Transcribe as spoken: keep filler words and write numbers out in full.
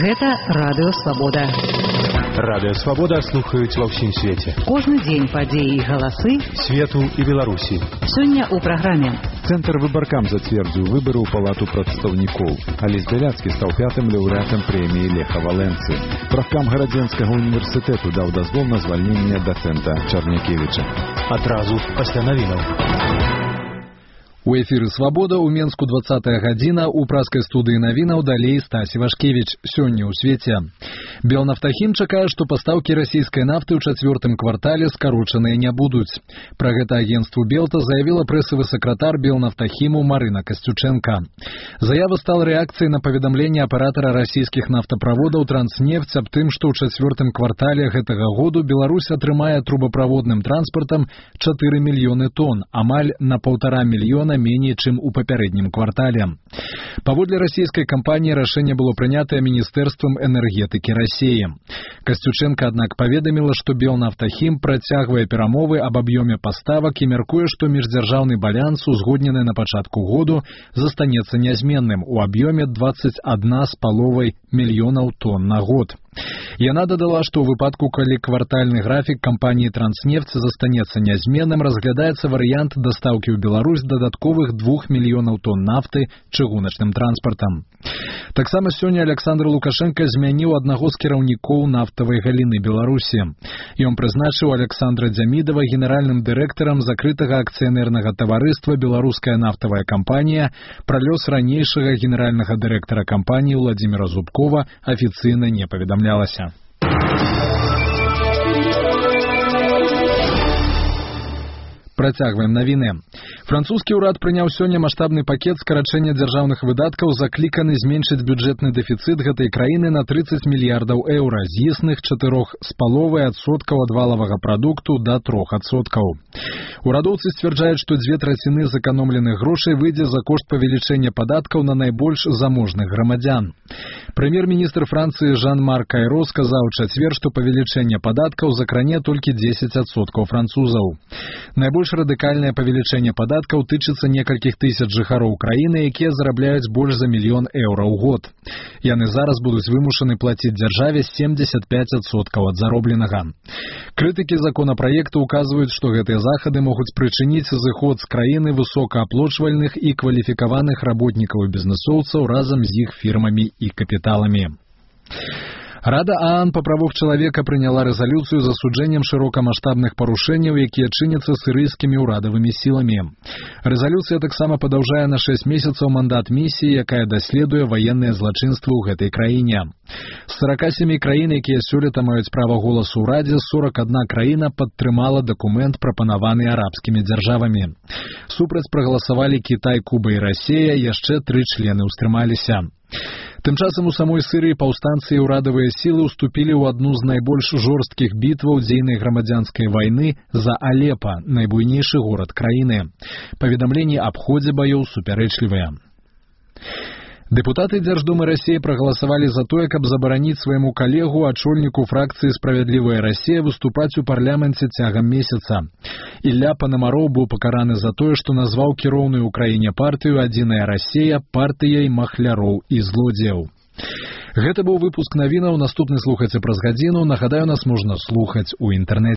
Гэта Радыё Свабода. Радыё Свабода слухаюць ва ўсім свеце. Кожны дзень падзеі і галасы свету і Беларусі. Сёння ў праграме. Цэнтр выбаркам зацвердзіў выбары ў палату прадстаўнікоў. Алесь Бяляцкі стаў пятым лаўрэатам прэміі Леха Валенцы. Правкам Гарадзенскага універсітэту даў дазвол на звальненне дацэнта Чарнякевіча. Адразу пасля навінаў. У эфіры «Свабода» у Менску двадцатая гадзіна, у праскай студыі навінаў далей Стасі Вашкевіч. Сёння ў свеце. Белнафтахім чакае, што пастаўкі расійскай нафты ў чацвёртым квартале скарочаныя не будуць. Пра гэта агенцтву Белта заявіла прэсавы сакратар Белнафтахіму Марына Касцючэнка. Заява стала рэакцыяй на паведамленне аператара расійскіх нафтаправодаў «Транснефть» аб тым, што ў чацвёртым квартале гэтага году Беларусь атрымае трубаправодным транспартам чатыры мільёны тонн, амаль на паўтара мільёна меней, чым у папярэднім квартале. Паводле расійскай кампаніі рашэнне было прынятае Міністэрствам энергетыкі Расіі. Касцючэнка, аднак, паведаміла, што Белнафтахім працягвае перамовы аб аб'ёме паставак і мяркуе, што міждзяржаўны баланс, узгоднены на пачатку году, застанецца нязменным у аб'ёме дваццаць адна з паловай мільёнаў тонн на год. Яна дадала, што ў выпадку, калі квартальны графік кампаніі «Транснефть» застанецца нязменным, разглядаецца варыянт дастаўкі ў Беларусь дадатковых двух мільёнаў тонн нафты чыгуначным транспартам. Таксама сёння Александр Лукашенко змяніў аднаго з кіраўнікоў нафтавай галіны Беларусі. Ён прызначыў Александра Дзямідава генеральным дырэктарам закрытага акцыянернага таварыства «Беларуская нафтавая кампанія». Пра лёс ранейшага генеральнага дырэктара кампаніі Владзіміра Зубкова афіцыйна не паведамлялася. Працягваем навіны. Французскі ўрад прыняў сёння маштабны пакет скарачэння дзяржаўных выдаткаў, закліканы зменшыць бюджэтны дэфіцыт гэтай краіны на трыццаць мільярдаў еўра, з існых чатырох з паловай адсоткаў ад валавага прадукту да трох адсоткаў. Урадоўцы сцвярджаюць, што дзве траціны зэканомленых грошай выйдзе за кошт павелічэння падаткаў на найбольш заможных грамадзян. Прэм'ер-міністр Францыі Жан-Марк Айро сказаў у чацвер, што павелічэнне падаткаў закране толькі дзесяць адсоткаў французаў. Найбольш радыкальнае павелічэнне падаткаў тычыцца некалькіх тысяч жыхароў краіны, якія зарабляюць больш за мільён еўра ў год. Яны зараз будуць вымушаны плаціць дзяржаве семьдесят пять адсоткаў ад заробленага. Крытыкі законапраекту указваюць, што гэтыя захады могуць прычыніць зыход з краіны высокааплочвальных і кваліфікаваных работнікаў і бізнэсоўцаў разам з іх фірмамі і капіталамі. Рада ААН па правах чалавека прыняла рэзалюцыю з асуджэннем шырокамаштабных парушэнняў, якія чыняцца сірыйскімі ўрадавымі сіламі. Рэзалюцыя таксама падаўжае на шэсць месяцаў мандат місіі, якая даследуе ваенныя злачынствы ў гэтай краіне. З сорока семи краін, якія сёлета маюць права голасу ў Радзе, сорок одна краіна падтрымала дакумент, прапанаваны арабскімі дзяржавамі. Супраць прагаласавалі Кітай, Куба і Расія, яшчэ тры члены ўстрымаліся. Тым часам у самой Сырыі паўстанцы і ўрадавыя сілы ўступілі ў адну з найбольш жорсткіх бітваў дзейнай грамадзянскай вайны за Алепа, найбуйнейшы горад краіны. Паведамленні аб ходзе баёў супярэчлівыя. Дэпутаты Дзярждумы Расіі прагаласавалі за тое, каб забараніць свайму калегу, ачольніку фракцыі «Справядлівая Расія» выступаць у парламенце цягам месяца. Ілля Панамароў быў пакараны за тое, што назваў кіроўную ў краіне партыю «Адзіная Расія» партыяй махляроў і злодзеяў. Гэта быў выпуск навінаў. Наступны слухайце праз гадзіну. Нагадаю, нас можна слухаць у інтэрнэце.